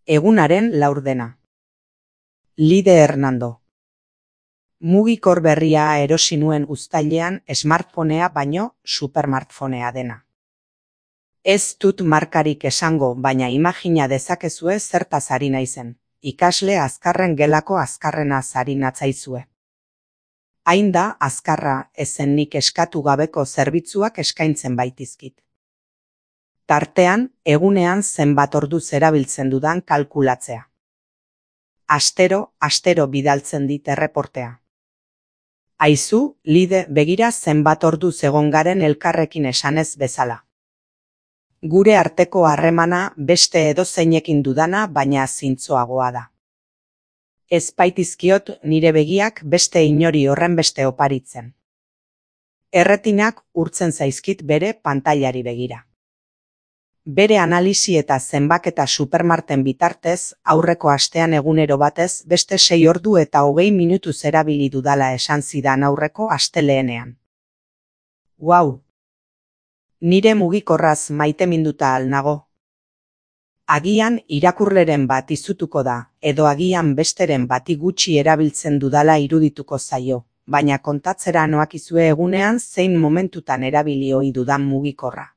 Egunaren laurdena. Lide Hernando. Mugikor berria erosi nuen uztailean smartphonea baino supermartphonea dena. Ez dut markarik esango, baina imagina dezakezue zertaz ari naizen. Ikasle azkarren gelako azkarrena ari natzaizue. Hain da azkarra ezen nik eskatu gabeko zerbitzuak eskaintzen baitizkit. Tartean, egunean zenbat orduz erabiltzen dudan kalkulatzea. Astero bidaltzen dit erreportea. Aizu, Lide, begira zenbat orduz egon garen elkarrekin esanez bezala. Gure arteko harremana beste edozeinekin dudana, baina zintzoagoa da. Ez baitizkiot nire begiak beste inori horrenbeste oparitzen. Erretinak urtzen zaizkit bere pantailari begira. Bere analisi eta zenbaketa supermarten bitartez, aurreko astean egunero batez beste 6 ordu eta 20 minutuz erabili dudala esan zidan aurreko asteleenean. Wow! Nire mugikorraz maiteminduta al nago. Agian irakurleren bat izutuko da, edo agian besteren bati gutxi erabiltzen dudala irudituko zaio, baina kontatzera noakizue egunean zein momentutan erabili ohi dudan mugikorra.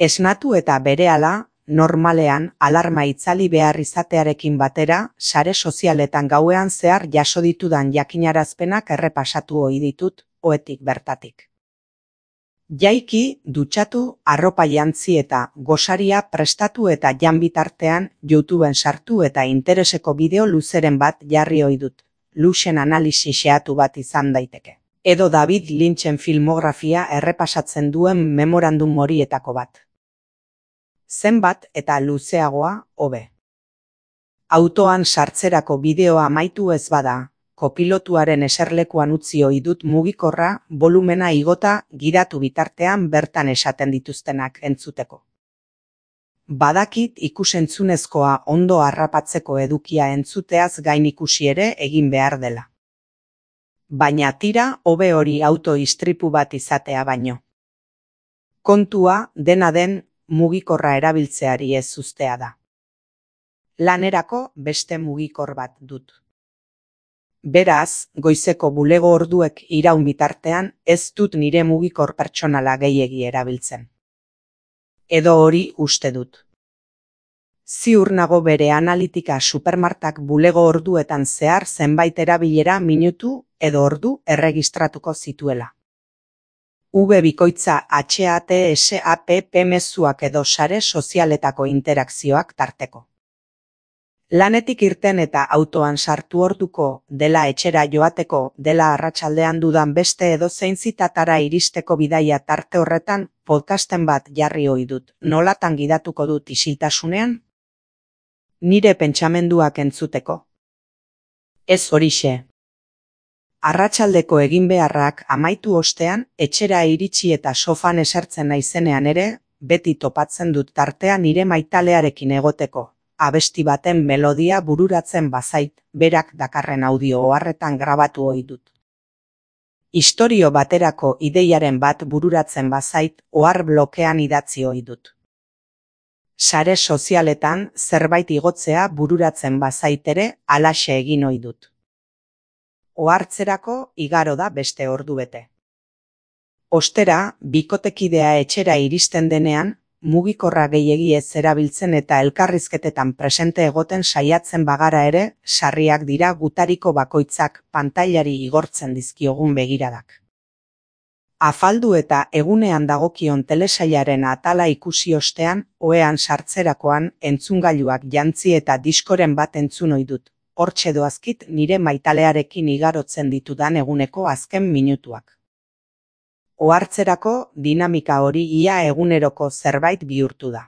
Esnatu eta berehala, normalean alarma itzali behar izatearekin batera, sare sozialetan gauean zehar jaso ditudan jakinarazpenak errepasatu ohi ditut, ohetik bertatik. Jaiki, dutxatu, arropa jantzi eta gosaria prestatu eta jan bitartean YouTubeen sartu eta intereseko bideo luzeren bat jarri ohi dut. Luxen analisi xeatu bat izan daiteke. Edo David Lynchen filmografia errepasatzen duen memorandum horietako bat. Zenbat eta luzeagoa, hobe. Autoan sartzerako bideoa amaitu ez bada, kopilotuaren eserlekuan utzi ohi dut mugikorra volumena igota gidatu bitartean bertan esaten dituztenak entzuteko. Badakit ikusentzunezkoa ondo harrapatzeko edukia entzuteaz gain ikusi ere egin behar dela. Baina tira hobe hori auto-istripu bat izatea baino. Kontua dena den mugikorra erabiltzeari ez uztea da. Lanerako beste mugikor bat dut. Beraz, goizeko bulego orduek iraun bitartean ez dut nire mugikor pertsonala gehiegi erabiltzen. Edo hori uste dut. Ziur nago bere analitika supermartak bulego orduetan zehar zenbait erabilera minutu edo ordu erregistratuko zituela. bikoitza HATSAPP mezuak edo sare sozialetako interakzioak tarteko. Lanetik irten eta autoan sartu orduko, dela etxera joateko, dela arratsaldean dudan beste edozein zitatara iristeko bidaia tarte horretan podcasten bat jarri ohi dut. Nolatan gidatuko dut isiltasunean? Nire pentsamenduak entzuteko. Ez horixe. Arratsaldeko egin beharrak amaitu ostean, etxera iritsi eta sofan esertzen naizenean ere, beti topatzen dut tartea nire maitalearekin egoteko. Abesti baten melodia bururatzen bazait, berak dakarren audio oharretan grabatu ohi dut. Istorio baterako ideiaren bat bururatzen bazait, ohar blokean idatzi ohi dut. Sare sozialetan zerbait igotzea bururatzen bazait ere, halaxe egin ohi dut. Ohartzerako igaro da beste ordubete. Ostera, bikotekidea etxera iristen denean, mugikorra gehiegi ez erabiltzen eta elkarrizketetan presente egoten saiatzen bagara ere, sarriak dira gutariko bakoitzak pantailari igortzen dizkiogun begiradak. Afaldu eta egunean dagokion telesailaren atala ikusi ostean, ohean sartzerakoan entzungailuak jantzi eta diskoren bat entzun ohi dut. Hortxe doazkit nire maitalearekin igarotzen ditudan eguneko azken minutuak. Ohartzerako dinamika hori ia eguneroko zerbait bihurtu da.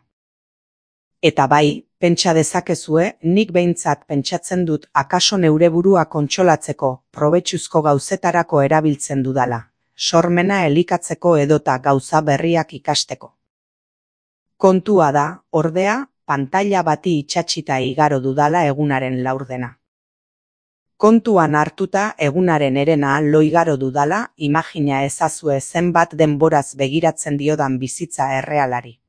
Eta bai, pentsa dezakezue, nik behintzat pentsatzen dut akaso neure burua kontsolatzeko, probetxuzko gauzetarako erabiltzen dudala, sormena elikatzeko edota gauza berriak ikasteko. Kontua da, ordea, pantaila bati itsatsita igaro dudala egunaren laurdena. Kontuan hartuta egunaren herena lo igaro dudala, imagina ezazue zenbat denboraz begiratzen diodan bizitza errealari.